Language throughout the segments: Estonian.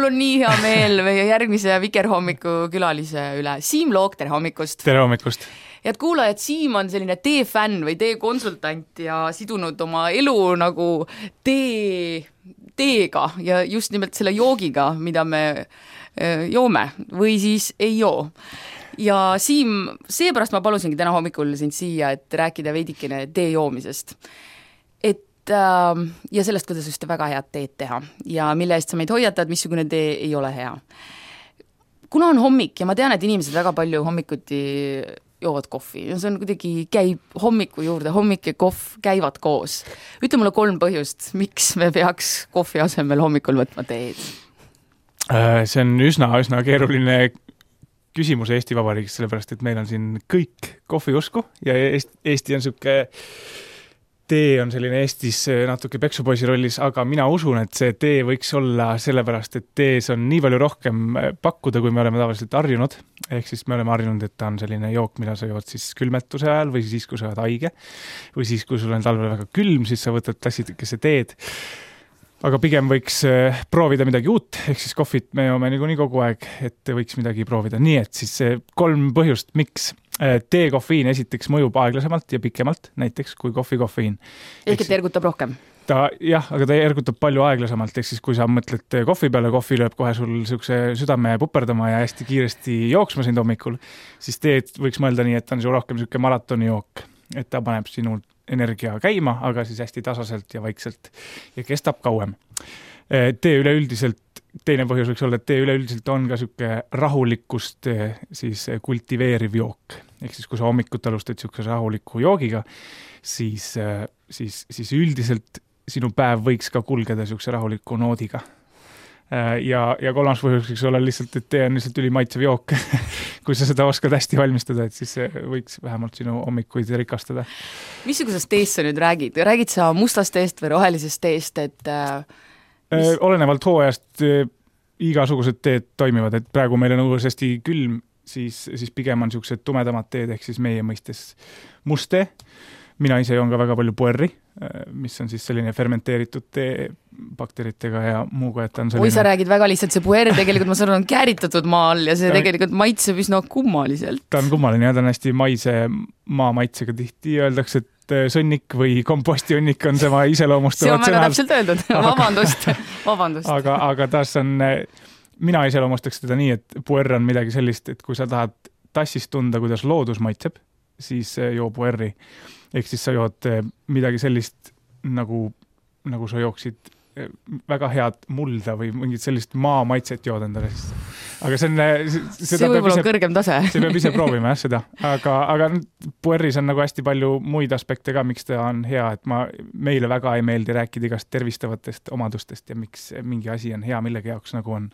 mul on nii hea meel meie järgmise Vikerhommiku külalise üle. Siim Loog, tere hommikust! Tere hommikust! Head kuulajad, Siim on selline tee-fänn või tee-konsultant ja sidunud oma elu nagu teega ja just nimelt selle joogiga, mida me joome või siis ei joo. Ja Siim, seepärast ma palusingi täna hommikul sind siia, et rääkida veidikene tee joomisest. Ja sellest, kuidas just väga head teed teha ja mille eest sa meid hoiatad, missugune tee ei ole hea. Kuna on hommik ja ma tean, et inimesed väga palju hommikuti joovad kohvi ja see on kuidagi käib hommiku juurde, hommik ja kohv käivad koos. Ütle mulle 3 põhjust, miks me peaks kohvi asemel hommikul võtma teed? See on üsna keeruline küsimus Eesti Vabariigis, sellepärast, et meil on siin kõik kohvi usku ja Eesti on siuke tee on selline Eestis natuke peksupoisi rollis, aga mina usun, et see tee võiks olla sellepärast, et tees on nii palju rohkem pakkuda, kui me oleme tavaliselt harjunud. Ehk siis me oleme harjunud, et ta on selline jook, mida sa jood siis külmetuse ajal või siis, kui sa oled haige või siis, kui sul on talvel väga külm, siis sa võtad tassikese teed. Aga pigem võiks proovida midagi uut, ehk siis kohvit me joome nii kogu aeg, et võiks midagi proovida. Nii et siis 3 põhjust, miks tee kofeiin esiteks mõjub aeglasemalt ja pikemalt, näiteks kui kofeiin. Ehk et ergutab rohkem? Jah, aga ta ergutab palju aeglasemalt, ehk siis kui sa mõtled kohvi peale, kohvi lööb kohe sul siukse südame puperdama ja hästi kiiresti jooksma sind hommikul, siis teed võiks mõelda nii, et ta on su rohkem siuke maratoni jook, et ta paneb sinu energia käima, aga siis hästi tasaselt ja vaikselt ja kestab kauem. Tee üleüldiselt, teine põhjus võiks olla, et tee üleüldiselt on ka siuke rahulikkust siis kultiveeriv jook. Ehk siis, kui sa hommikut alustad siukse rahuliku joogiga, siis üldiselt sinu päev võiks ka kulgeda siukse rahuliku noodiga. Ja 3. põhjus võiks olla lihtsalt, et tee on lihtsalt ülimaitsev jook. Kui sa seda oskad hästi valmistada, et siis võiks vähemalt sinu hommikuid rikastada. Missugusest teest sa nüüd räägid? Räägid sa mustast teest või rohelisest teest? Olenevalt hooajast igasugused teed toimivad, et praegu meil on õues hästi külm, siis pigem on siuksed tumedamad teed, ehk siis meie mõistes must tee. Mina ise joon ka väga palju puerri, mis on siis selline fermenteeritud tee bakteritega ja muuga, et on selline... Oi, sa räägid väga lihtsalt, see puer tegelikult ma saan on kääritatud maa all ja see tegelikult maitseb üsna kummaliselt. Ta on kummaline ja ta on hästi maise maa maitsega tihti. Öeldakse, et sõnnik või kompostiõnnik on tema iseloomustavad sõnad. See on väga täpselt öeldud. Vabandust. Aga taas on... Mina iseloomustaks teda nii, et puer on midagi sellist, et kui sa tahad tassist tunda, kuidas loodus maitseb, siis joo puerri. Ehk siis sa jood midagi sellist, nagu sa jooksid väga head mulda või mingit sellist maa maitset jood endale. Aga see võib-olla on kõrgem tase. See peab ise proovima seda. Aga puerris on nagu hästi palju muid aspekte ka, miks ta on hea, et meile väga ei meeldi rääkida igast tervistavatest omadustest ja miks mingi asi on hea millegi jaoks, nagu on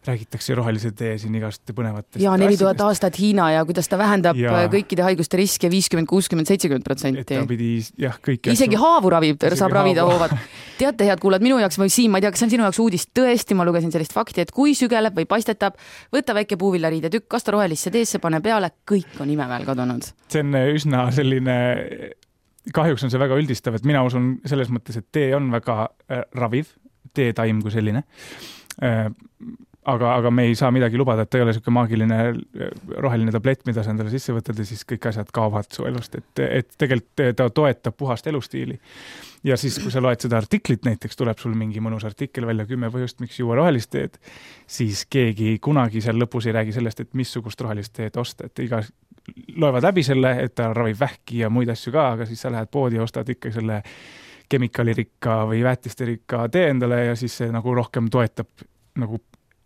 räägitakse rohelise tee siin igast põnevatest. Ja 4000 aastat Hiina ja kuidas ta vähendab kõikide haiguste riske 50, 60, 70%. Et ta pidi, kõiki isegi haavu saab ravida hoovad. Teate, head kuulad, minu jaoks või Siim, ma ei tea, kas see on sinu jaoks uudist, tõesti, ma lugesin sellist fakti, et kui sügeleb või paistetab, võta väike puuvillariide tükk, kasta rohelisse teesse, pane peale, kõik on imeväel kadunud. See on üsna selline, kahjuks on see väga üldistav, et mina usun selles mõttes, et tee on väga raviv, teetaim kui selline. Aga me ei saa midagi lubada, et ta ei ole selline maagiline roheline tablett, mida sa endale sisse võtad ja siis kõik asjad kaovad su elust. Et tegelikult ta toetab puhast elustiili. Ja siis, kui sa loed seda artiklit, näiteks tuleb sul mingi mõnus artikkel välja 10 põhjust, miks juua rohelist teed, siis keegi kunagi seal lõpus ei räägi sellest, et missugust rohelist teed osta. Et loevad läbi selle, et ta ravib vähki ja muid asju ka, aga siis sa lähed poodi ja ostad ikka selle kemikaalirikka või väetisterikka tee endale ja siis see nagu rohkem toetab nagu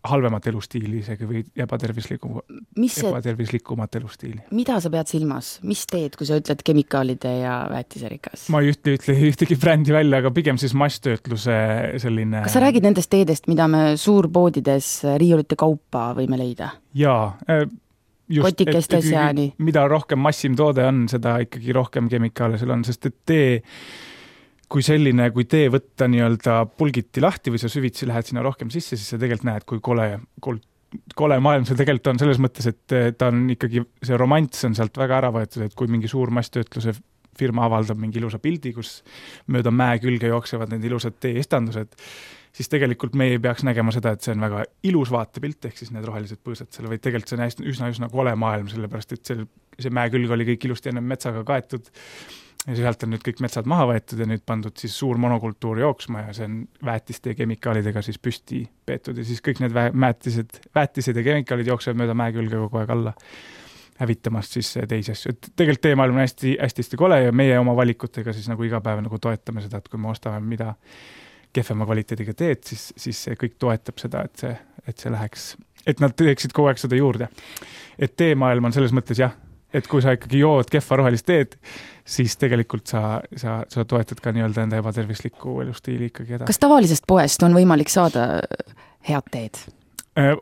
halvemat elustiili isegi või ebatervislikumat elustiili. Mida sa pead silmas? Mis teed, kui sa ütled kemikaalide ja väetiserikas? Ma ei ütle ühtegi brändi välja, aga pigem siis masstöötluse selline... Kas sa räägid nendest teedest, mida me suurpoodides riiulite kaupa võime leida? Jaa, just, et mida rohkem massim toode on, seda ikkagi rohkem kemikaale seal on, sest et tee kui tee võtta nii-öelda pulgiti lahti või sa süvitsi lähed sinna rohkem sisse, siis sa tegelikult näed, kui kole maailm seal tegelikult on selles mõttes, et ta on ikkagi, see romants on sealt väga ära võetud, et kui mingi suur masstöötluse firma avaldab mingi ilusa pildi, kus mööda mäe külge jooksevad need ilusad tee-istandused siis tegelikult me ei peaks nägema seda, et see on väga ilus vaatepilt, ehk siis need rohelised põõsad seal, vaid tegelikult see on üsna kole maailm, sellepärast et see mäe külg oli kõik ilusti enne metsaga kaetud ja sealt on nüüd kõik metsad maha võetud ja nüüd pandud siis suur monokultuur jooksma ja see on väetiste ja kemikaalidega siis püsti peetud ja siis kõik need väetised ja kemikaalid jooksevad mööda mäe külge kogu aeg alla, hävitamast siis teisi asju. Et tegelikult teemaailm on hästi kole ja meie oma valikutega siis nagu iga päev nagu toetame seda, et kui me ostame mida kehvema kvaliteediga teed, siis see kõik toetab seda, et see läheks, et nad teeksid kogu aeg seda juurde. Et teemaailm on selles mõttes jah, et kui sa ikkagi jood kehva rohelist teed, siis tegelikult sa toetad ka nii-öelda enda ebatervisliku elustiili ikkagi edasi. Kas tavalisest poest on võimalik saada head teed?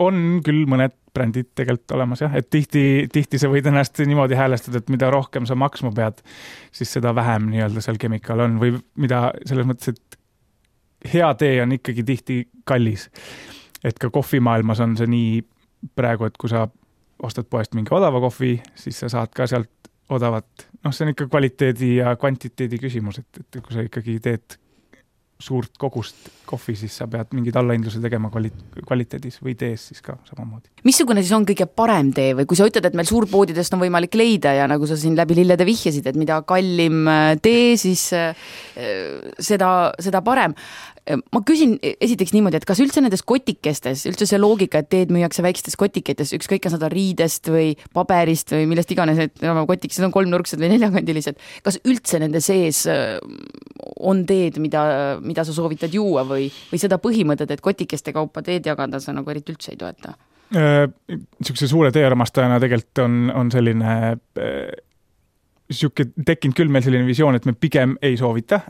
On küll mõned brändid tegelikult olemas jah, et tihti sa võid ennast niimoodi häälestada, et mida rohkem sa maksma pead, siis seda vähem nii-öelda seal kemikaal on või mida selles mõttes, et hea tee on ikkagi tihti kallis. Et ka kohvimaailmas on see nii praegu, et kui sa ostad poest mingi odava kohvi, siis sa saad ka sealt odavat, see on ikka kvaliteedi ja kvantiteedi küsimus, et kui sa ikkagi teed suurt kogust kohvi, siis sa pead mingid allahindluse tegema kvaliteedis või tees siis ka samamoodi. Missugune siis on kõige parem tee või kui sa ütled, et meil suurpoodidest on võimalik leida ja nagu sa siin läbi lillede vihjasid, et mida kallim tee, siis seda parem. Ma küsin esiteks niimoodi, et kas üldse nendes kotikestes, üldse see loogika, et teed müüakse väikestes kotiketes, ükskõik on seda riidest või paberist või millest iganes, et kotikesed on kolmnurksed või neljakandilised, kas üldse nende sees on teed, mida sa soovitad juua või seda põhimõtet, et kotikeste kaupa teed jagada sa nagu eriti üldse ei toeta? Niisuguse suure teearmastajana tegelikult on selline tekkinud küll meil selline visioon, et me pigem ei soovita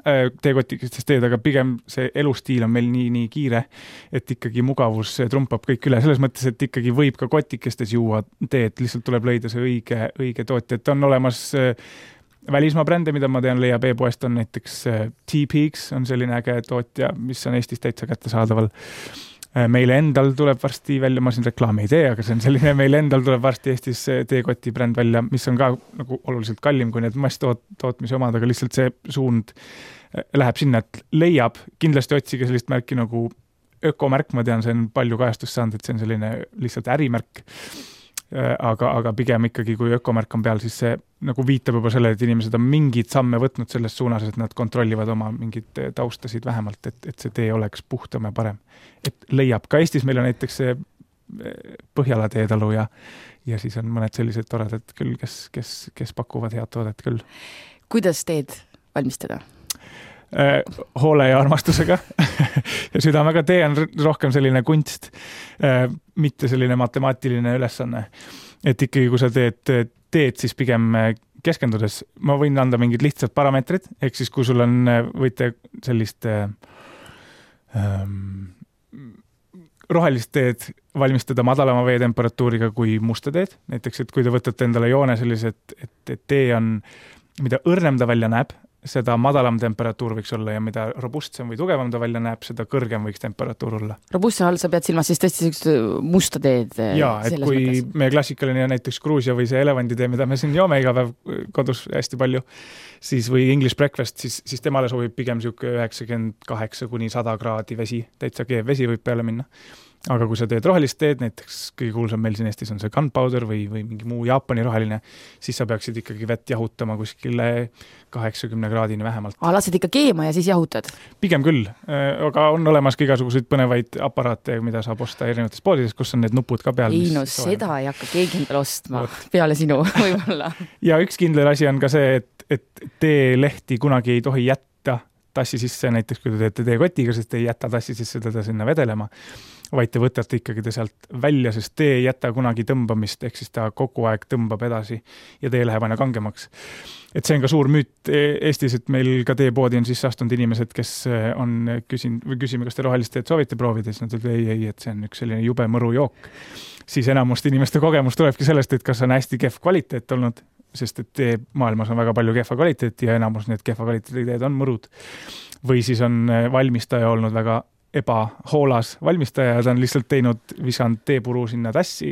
teekotikestest teed, aga pigem see elustiil on meil nii kiire, et ikkagi mugavus trumpab kõik üle. Selles mõttes, et ikkagi võib ka kotikestes juua teed, lihtsalt tuleb leida see õige tootja. Et on olemas välismaa brände, mida ma tean, leiab e-poest on näiteks T-Peaks, on selline äge tootja, mis on Eestis täitsa kättesaadaval. Meile endal tuleb varsti välja, ma siin reklaami ei tee, aga see on selline, meile endal tuleb varsti Eestis teekoti bränd välja, mis on ka nagu oluliselt kallim kui need masstootmise omad, aga lihtsalt see suund läheb sinna, et leiab, kindlasti otsige sellist märki nagu ökomärk, ma tean, see on palju kajastust saanud, et see on selline lihtsalt ärimärk, aga pigem ikkagi, kui ökomärk on peal, siis see nagu viitab juba selle, et inimesed on mingid samme võtnud selles suunas, et nad kontrollivad oma mingid taustasid vähemalt, et see tee oleks puhtam ja parem. Et leiab. Ka Eestis meil on näiteks see Põhjala teetalu ja siis on mõned sellised toredad küll, kes pakuvad head toodet küll. Kuidas teed valmistada? Hoole ja armastusega ja südamega. Tee on rohkem selline kunst, mitte selline matemaatiline ülesanne. Et ikkagi, kui sa teed, siis pigem keskendudes. Ma võin anda mingid lihtsad parameetrid, ehk siis kui sul on, võite sellist rohelist teed valmistada madalama veetemperatuuriga kui musta teed. Näiteks, et kui te võtate endale joone sellised, et tee on, mida õrnem ta välja näeb, seda madalam temperatuur võiks olla ja mida robustsem või tugevam ta välja näeb, seda kõrgem võiks temperatuur olla. Robustsem all sa pead silmas siis tõesti musta teed? Jaa, et kui mõttes. Meie klassikaline näiteks Gruusia või see elevanditee, mida me siin joome iga päev kodus hästi palju, siis või English breakfast, siis temale sobib pigem 98–100 kraadi vesi, täitsa keev vesi võib peale minna. Aga kui sa teed rohelist teed, näiteks kõige kuulsam meil siin Eestis on see gunpowder või mingi muu Jaapani roheline, siis sa peaksid ikkagi vett jahutama kuskile 80 kraadini vähemalt. Lased ikka keema ja siis jahutad? Pigem küll, aga on olemas ka igasuguseid põnevaid aparaate, mida saab osta erinevates poodides, kus on need nupud ka peal. Ei, no seda ei hakka keegi endale ostma peale sinu võib-olla. Ja üks kindel asi on ka see, et teelehti kunagi ei tohi jätta tassi sisse, näiteks kui te teete teekotiga, sest te ei jäta tassi sisse teda sinna vedelema, vaid te võtate ikkagi ta sealt välja, sest tee ei jäta kunagi tõmbamist, ehk siis ta kogu aeg tõmbab edasi ja tee läheb aina kangemaks. Et see on ka suur müüt Eestis, et meil ka teepoodi on siis astunud inimesed, kes on küsime, kas te rohelist teed soovite proovida, siis nad ütlevad ei, et see on üks selline jube mõru jook. Siis enamust inimeste kogemus tulebki sellest, et kas on hästi kehv kvaliteet olnud, sest et tee maailmas on väga palju kehva kvaliteeti ja enamus need kehva kvaliteeti teed on mõrud. Või siis on valmistaja olnud väga ebahoolas valmistaja ja ta on lihtsalt visanud teepuru sinna tassi,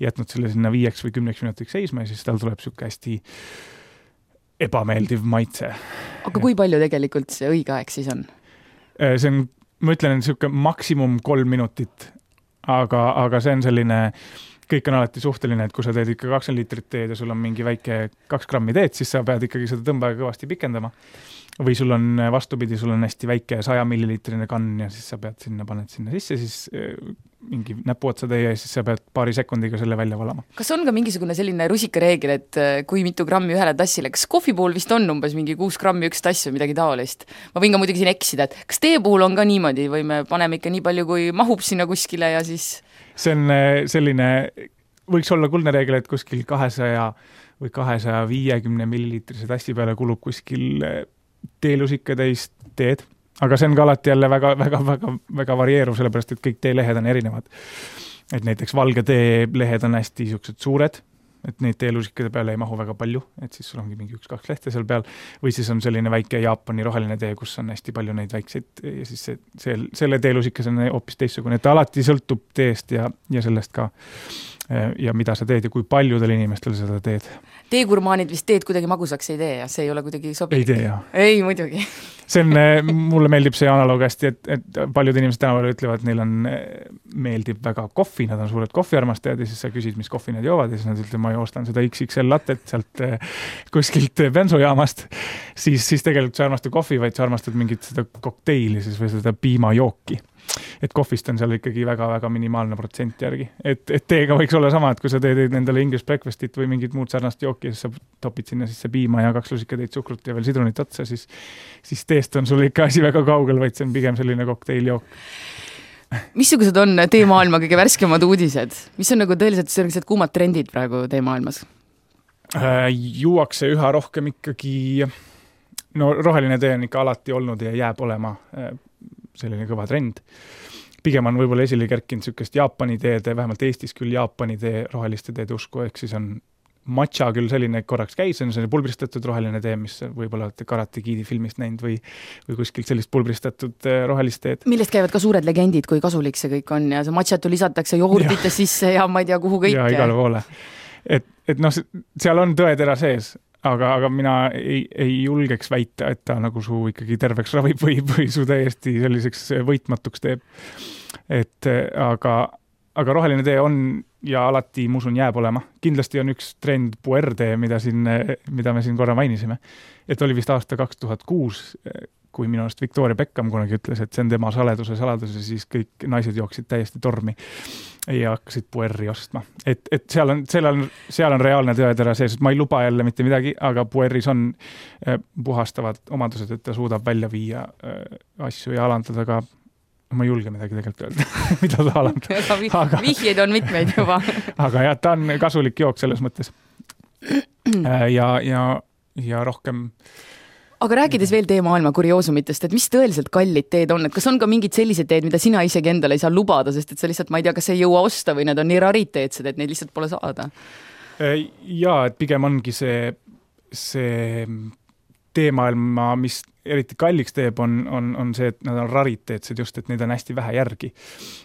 jätnud selle sinna 5 või 10 minutiks seisma ja siis tal tuleb siuke hästi ebameeldiv maitse. Aga kui palju tegelikult see õige aeg siis on? See on ma ütlen, et niisugune maksimum 3 minutit, aga see on selline, kõik on alati suhteline, et kui sa teed ikka 20 liitrit teed ja sul on mingi väike 2 grammi teed, siis sa pead ikkagi seda tõmbaga kõvasti pikendama. Või sul on vastupidi, sul on hästi väike 100 milliliitrine kann ja siis sa paned sinna sisse, siis mingi näpuotsa tee ja siis sa pead paari sekundiga selle välja valama. Kas on ka mingisugune selline rusikareegel, et kui mitu grammi ühele tassile, kas kohvi puhul vist on umbes mingi 6 grammi üks tass või midagi taolist? Ma võin ka muidugi siin eksida, et kas tee puhul on ka niimoodi või me paneme ikka nii palju, kui mahub sinna kuskile ja siis... See on selline, võiks olla kuldne reegel, et kuskil 200 või 250 milliliitrise tassi peale kulub kuskil teelusikatäis teed, aga see on ka alati jälle väga varieeruv, sellepärast, et kõik teelehed on erinevad. Et näiteks valge tee lehed on hästi niisugused suured, et neid teelusikade peale ei mahu väga palju, et siis sul ongi mingi 1-2 lehte seal peal, või siis on selline väike Jaapani roheline tee, kus on hästi palju neid väikseid ja siis selle teelusikas on hoopis teistsugune, et alati sõltub teest ja sellest ka ja mida sa teed ja kui paljudel inimestel seda teed. Teegurmaanid vist teed kuidagi magusaks ei tee ja see ei ole kuidagi sobilik. Ei tee, jah. Ei, muidugi. See on, mulle meeldib see analoog hästi, et paljud inimesed tänaval ütlevad, neil on, meeldib väga kohvi, nad on suured kohviarmastajad ja siis sa küsid, mis kohvi nad joovad ja siis nad ütlevad, ma joostan seda XXL latet sealt kuskilt bensojaamast, siis tegelikult sa armastad kohvi, vaid sa armastad mingit seda kokteili siis või seda piimajooki. Et kohvist on seal ikkagi väga minimaalne protsent järgi. Et teega võiks olla sama, et kui sa teed endale English breakfastit või mingit muud sarnast jooki, siis sa topid sinna sisse piima ja 2 lusikatäit suhkrut ja veel sidrunit otsa, siis teest on sul ikka asi väga kaugel, vaid see on pigem selline kokteiljook. Missugused on teemaailma kõige värskemad uudised? Mis on nagu tõeliselt sellised kuumad trendid praegu teemaailmas? Juuakse üha rohkem ikkagi, no roheline tee on ikka alati olnud ja jääb olema selline kõva trend. Pigem on võib-olla esile kerkinud niisugust Jaapani teede, vähemalt Eestis küll Jaapani tee, roheliste teede usku, ehk siis on matša küll selline korraks käis, on selline pulbristatud roheline tee, mis võib-olla olete Karate Kidi filmist näinud või kuskilt sellist pulbristatud rohelist teed. Millest käivad ka suured legendid, kui kasulik see kõik on ja see matšatu lisatakse jogurtite sisse ja ma ei tea, kuhu kõik. Ja igale poole. Et noh, seal on tõetera sees, aga mina ei julgeks väita, et ta nagu su ikkagi terveks ravib või su täiesti selliseks võitmatuks teeb. Aga roheline tee on ja alati, ma usun, jääb olema. Kindlasti on üks trend puer-tee, mida me siin korra mainisime. Et oli vist aasta 2006, kui minu arust Victoria Beckham kunagi ütles, et see on tema saladus, siis kõik naised jooksid täiesti tormi ja hakkasid puerri ostma. Et seal on reaalne tõetera sees, et ma ei luba jälle mitte midagi, aga puerris on puhastavad omadused, et ta suudab välja viia asju ja alandada ka, ma ei julge midagi tegelikult öelda, mida ta alandab. Vihjeid on mitmeid juba. Aga jah, ta on kasulik jook selles mõttes. Ja rohkem... Aga rääkides veel teemaailma kurioosumitest, et mis tõeliselt kallid teed on, et kas on ka mingid sellised teed, mida sina isegi endale ei saa lubada, sest et sa lihtsalt, ma ei tea, kas ei jõua osta või need on nii rariteetsed, et neid lihtsalt pole saada? Jaa, et pigem ongi see teemaailma, mis eriti kalliks teeb, on see, et nad on rariteetsed just, et neid on hästi vähe järgi.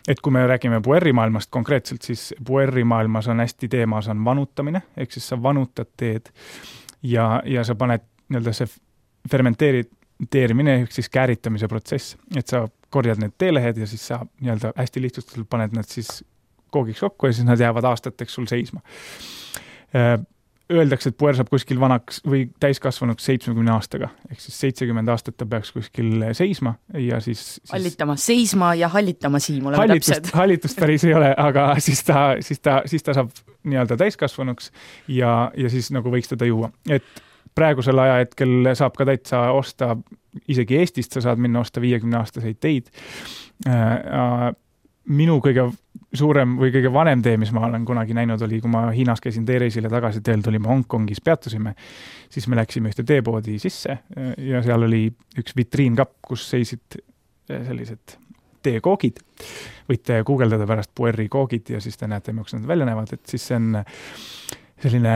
Et kui me räägime puerrimaailmast konkreetselt, siis puerrimaailmas on hästi teemas on vanutamine, ehk siis sa vanutad teed ja sa paned nii-öelda see fermenteerimine, siis kääritamise protsess, et sa korjad need teelehed ja siis sa nii-öelda hästi lihtsustatult paned nad siis koogiks kokku ja siis nad jäävad aastateks sul seisma. Öeldakse, et puer saab kuskil vanaks või täiskasvanuks 70 aastaga, ehk siis 70 aastat ta peaks kuskil seisma ja siis... Hallitama, seisma ja hallitama siin, oleme täpsed. Hallitust päris ei ole, aga siis ta saab nii-öelda täiskasvanuks ja siis nagu võiks teda juua. Et praegusel ajahetkel saab ka täitsa osta, isegi Eestist sa saad minna osta 50-aastaseid teid. Minu kõige suurem või kõige vanem tee, mis ma olen kunagi näinud, oli, kui ma Hiinas käisin teereisile tagasi teel, tulime Hongkongis, peatusime, siis me läksime ühte teepoodi sisse ja seal oli üks vitriinkapp, kus seisid sellised teekoogid. Võite guugeldada pärast puerri koogid ja siis te näete, mis nad välja näevad, et siis see on selline...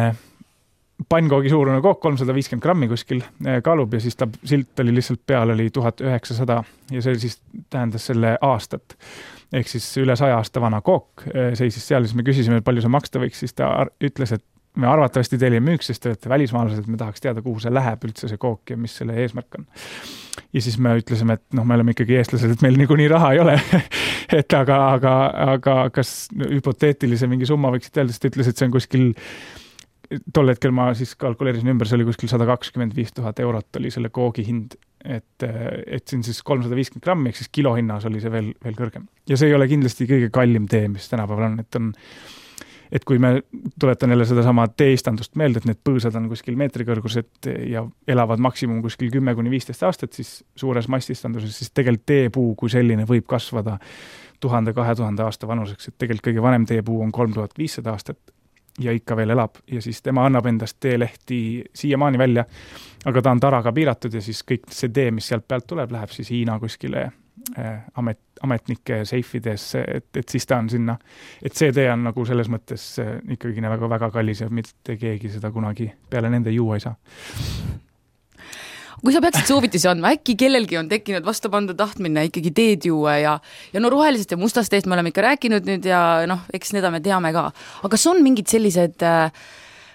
pannkoogi suurune kook, 350 grammi kuskil kaalub ja siis ta silt oli lihtsalt peal, oli 1900 ja see siis tähendas selle aastat. Ehk siis üle 100 aasta vana kook seisis seal, siis me küsisime, et palju see maksta võiks, siis ta ütles, et me arvatavasti teile ei müüks, sest te olete välismaalased, me tahaks teada, kuhu see läheb üldse see kook ja mis selle eesmärk on. Ja siis me ütlesime, et me oleme ikkagi eestlased, et meil niikuinii raha ei ole. Et aga kas hüpoteetilise mingi summa võiksid öelda, sest ta ütles, et see on kuskil, tol hetkel ma siis kalkuleerisin ümber, see oli kuskil 125 000 eurot oli selle koogi hind. Et siin siis 350 grammi, ehk siis kilohinnas oli see veel kõrgem. Ja see ei ole kindlasti kõige kallim tee, mis tänapäeval on, et kui me tuletan jälle seda sama teeistandust meelde, et need põõsad on kuskil meetri kõrgused ja elavad maksimum kuskil 10–15 aastat, siis suures massistanduses, siis tegelikult teepuu kui selline võib kasvada 1000–2000 aasta vanuseks, et tegelikult kõige vanem teepuu on 3500 aastat ja ikka veel elab ja siis tema annab endast teelehti siiamaani välja, aga ta on taraga piiratud ja siis kõik see tee, mis sealt pealt tuleb, läheb siis Hiina kuskile ametnike seifidesse, et siis ta on sinna, et see tee on nagu selles mõttes ikkagi väga kallis ja mitte keegi seda kunagi peale nende juua ei saa. Kui sa peaksid soovitusi andma, äkki kellelgi on tekkinud vastupanda tahtmine ikkagi teed juua ja no rohelisest ja mustast teest me oleme ikka rääkinud nüüd ja eks seda me teame ka. Aga kas on mingid sellised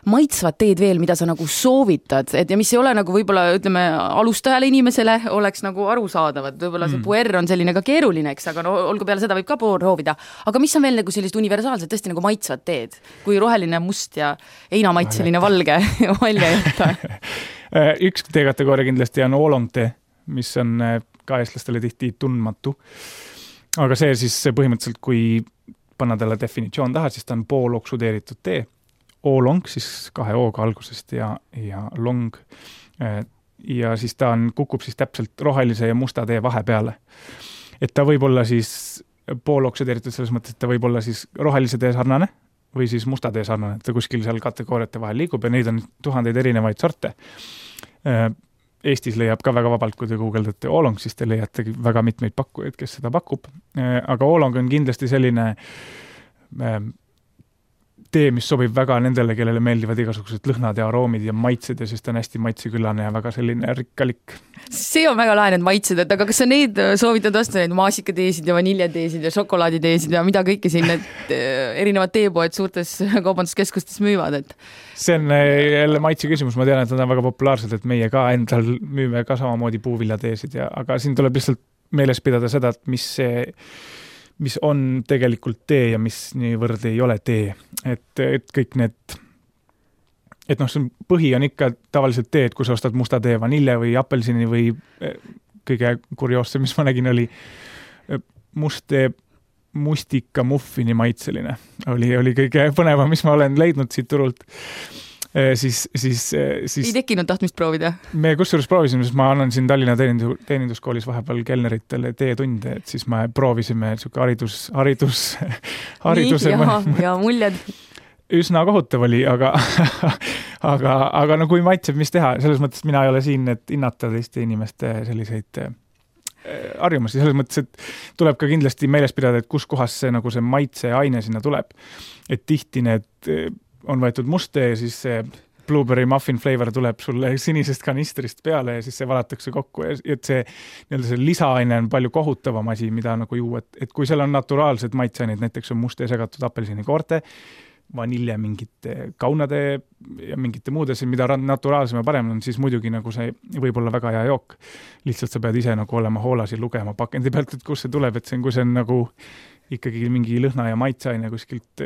maitsvad teed veel, mida sa nagu soovitad, et ja mis ei ole nagu võib-olla, ütleme, alustajale inimesele oleks nagu arusaadavad, võib-olla see puer on selline ka keeruline, eks, aga no olgu peale seda võib ka proovida. Aga mis on veel nagu sellised universaalsed, tõesti nagu maitsvad teed, kui roheline, must ja heinamaitseline valge välja jätta? Üks teekategooria kindlasti on oolong tee, mis on ka eestlastele tihti tundmatu. Aga see siis põhimõtteliselt, kui panna talle definitsioon taha, siis ta on pooloksudeeritud tee. Oolong, siis 2 O-ga algusest ja long. Ja siis ta kukub siis täpselt rohelise ja musta tee vahepeale. Et ta võib olla siis pooloksudeeritud selles mõttes, et ta võib olla siis rohelise tee sarnane või siis musta tee sarnane, et ta kuskil seal kategooriate vahel liigub ja neid on 1000 erinevaid sorte. Eestis leiab ka väga vabalt, kui te guugeldate oolong, siis te leiategi väga mitmeid pakkujaid, kes seda pakub. Aga oolong on kindlasti selline tee, mis sobib väga nendele, kellele meeldivad igasugused lõhnad ja aroomid ja maitsed ja siis ta on hästi maitseküllane ja väga selline rikkalik. See on väga lahe need maitsed, et aga kas sa neid soovitad vastu, neid maasikateesid ja vaniljateesid ja šokolaaditeesid ja mida kõike siin need erinevad teepoed suurtes kaubanduskeskustes müüvad, et see on jälle maitse küsimus, ma tean, et nad on väga populaarsed, et meie ka endal müüme ka samamoodi puuviljateesid aga siin tuleb lihtsalt meeles pidada seda, et mis on tegelikult tee ja mis niivõrd ei ole tee. Et kõik need, et see põhi on ikka tavaliselt tee, et kui sa ostad musta tee vanilje või apelsini või kõige kurioossem, mis ma nägin, oli must tee mustika muffini maitseline. Oli kõige põnevam, mis ma olen leidnud siit turult. Siis ei tekkinud tahtmist proovida? Me kusjuures proovisime, sest ma annan siin Tallinna teeninduskoolis vahepeal kelneritele teetunde, et siis me proovisime hariduse ja muljed. Üsna kohutav oli, aga kui maitseb, mis teha, selles mõttes mina ei ole siin, et hinnata teiste inimeste selliseid harjumusi, selles mõttes, et tuleb ka kindlasti meeles pidada, et kus kohas see maitseaine sinna tuleb. Et tihti need on võetud must tee ja siis see blueberry muffin flavor tuleb sulle sinisest kanistrist peale ja siis see valatakse kokku ja et see lisaaine on palju kohutavam asi, mida nagu juua, et kui seal on naturaalsed maitseaineid, näiteks on must tee segatud apelsini-koorte, vanilje mingite kaunade ja mingite muudes, mida naturaalsem ja parem on, siis muidugi nagu see võib olla väga hea jook. Lihtsalt sa pead ise nagu olema hoolas ja lugema pakendi pealt, et kus see tuleb, et kui see on nagu ikkagi mingi lõhna ja maitseaine kuskilt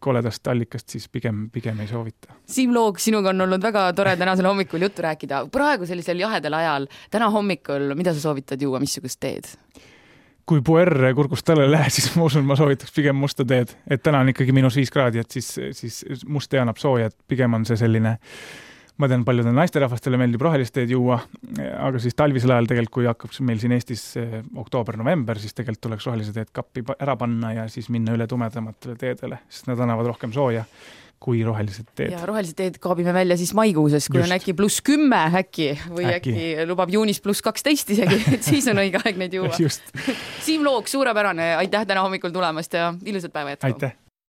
koledast allikast, siis pigem ei soovita. Siim Loog, sinuga on olnud väga tore tänasel hommikul juttu rääkida. Praegu sellisel jahedal ajal, täna hommikul, mida sa soovitad juua, missugust teed? Kui puer kurgust talle lähe, siis ma usun, ma soovitaks pigem musta teed. Et täna on ikkagi -5 kraadi, et siis must tee annab sooja, et pigem on see selline, ma tean, paljudel naisterahvastele meeldib rohelist teed juua, aga siis talvisel ajal tegelikult, kui hakkab meil siin Eestis oktoober-november, siis tegelikult tuleks rohelise teed kappi ära panna ja siis minna üle tumedamatele teedele, sest nad annavad rohkem sooja kui rohelised teed. Ja rohelised teed kaabime välja siis maikuuses, kui on äkki +10 äkki või äkki lubab juunis +12 isegi, et siis on õige aeg neid juua. Siim Loog, suurepärane, aitäh täna hommikul tulemast ja ilusat päeva jätku. Aitäh!